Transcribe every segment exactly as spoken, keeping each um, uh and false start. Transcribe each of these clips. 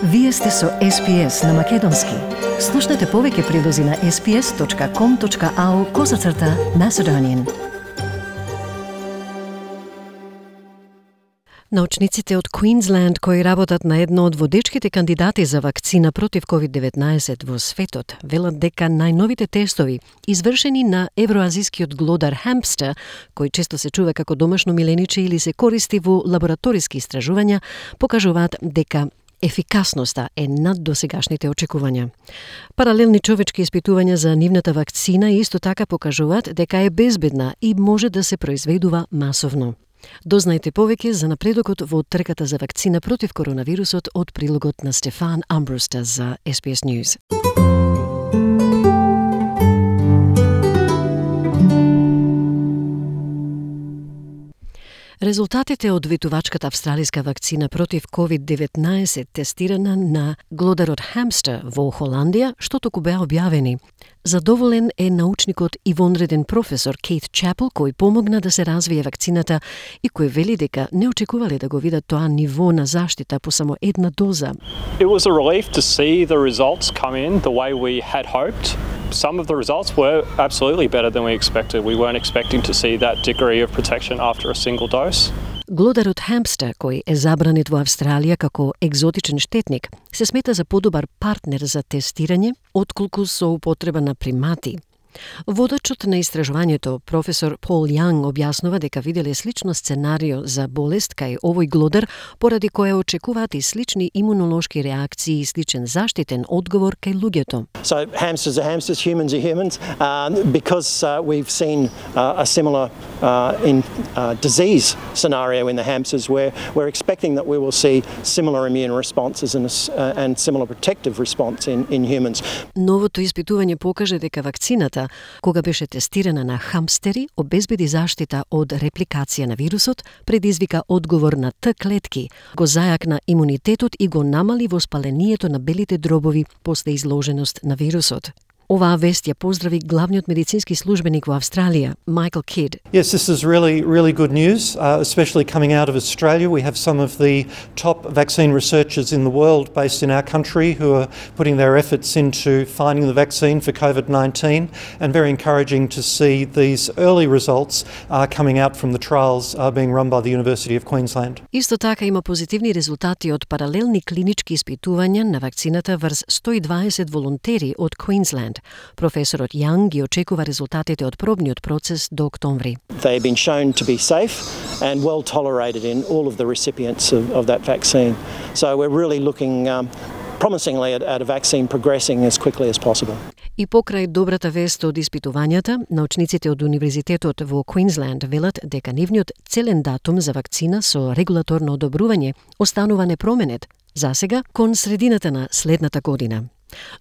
Вие сте со Ес Пи Ес на Македонски. Слушнете повеќе прилози на ес пи ес точка ком точка ау козацрта Macedonian. Научниците од Квинсленд кои работат на едно од водечките кандидати за вакцина против ковид деветнаесет во светот, велат дека најновите тестови, извршени на евроазискиот глодар хамстер, кој често се чува како домашно милениче или се користи во лабораториски истражувања, покажуваат дека ефикасноста е над досегашните очекувања. Паралелни човечки испитувања за нивната вакцина исто така покажуваат дека е безбедна и може да се произведува масовно. Дознајте повеќе за напредокот во трката за вакцина против коронавирусот од прилогот на Стефан Амбруста за Ес Пи Ес News. Резултатите од ветувачката австралиска вакцина против ковид деветнаесет тестирана на глодарот хамстер во Холандија, што току беа објавени. Задоволен е научникот и вонреден професор Кейт Чапел, кој помогна да се развие вакцината и кој вели дека не очекувале да го видат тоа ниво на заштита по само една доза. It was a relief to see the results come in the way we had hoped. Some of the results were absolutely better than we expected. We weren't expecting to see that degree of protection after a single dose. Глодарот хамстер, кој е забранет во Австралија како екзотичен штетник, се смета за подобар партнер за тестирање, отколку со употреба на примати. Водачот на истражувањето, професор Пол Јанг, објаснува дека виделе слично сценарио за болест кај овој глодар, поради која очекуваат и слични имунолошки реакции и сличен заштитен одговор кај луѓето. So hamsters are hamsters, humans are humans, um, because uh, we've seen uh, a similar uh, in uh, disease scenario in the hamsters where we're expecting that we will see similar immune responses and, uh, and similar protective response in, in humans. Новото испитување покаже дека вакцината, кога беше тестирана на хамстери, обезбеди заштита од репликација на вирусот, предизвика одговор на Т клетки, го зајакна имунитетот и го намали воспалението на белите дробови после изложеност на вирусот. Оваа вест ја поздрави главниот медицински службеник во Австралија, Michael Kidd. Yes, this is really, really good news, uh, especially coming out of Australia. We have some of the top vaccine researchers in the world based in our country who are putting their efforts into finding the vaccine for COVID nineteen, and very encouraging to see these early results uh, coming out from the trials uh, being run by the University of Queensland. Исто така има позитивни резултати од паралелни клинички испитувања на вакцината врз сто и дваесет волонтери од Квинсленд. Професорот Јанг ги очекува резултатите од пробниот процес до октомври. They have been shown to be safe and well tolerated in all of the recipients of, of that vaccine. So we're really looking um, promisingly at, at a vaccine progressing as quickly as possible. И покрај добрата вест од испитувањата, научниците од Универзитетот во Квинсленд велат дека нивниот целен датум за вакцина со регулаторно одобрување останува непроменет, засега кон средината на следната година.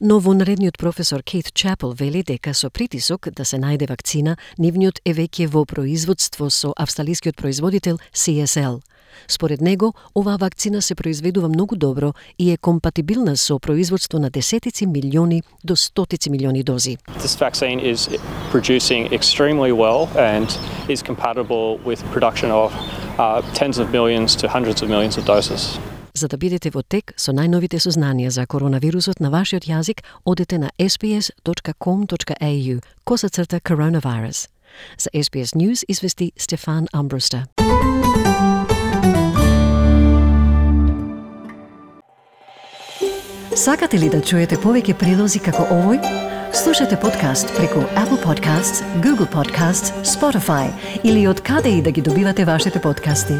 Но вонредниот професор Кейт Чапел вели дека со притисок да се најде вакцина, нивниот е веќе во производство со австралискиот производител Си Ес Ел. Според него, оваа вакцина се произведува многу добро и е компатибилна со производство на десетици милиони до стотици милиони дози. This vaccine is producing extremely well and is compatible with production of uh, tens of millions to hundreds of millions of doses. За да бидете во тек со најновите сознанија за коронавирусот на вашиот јазик, одете на ес пи ес точка ком точка ей ю косацрта coronavirus. За Ес Пи Ес News извести Стефан Амбруста. Сакате ли да чуете повеќе прилози како овој? Слушате подкаст преку Apple Podcasts, Google Podcasts, Spotify или од каде и да ги добивате вашите подкасти.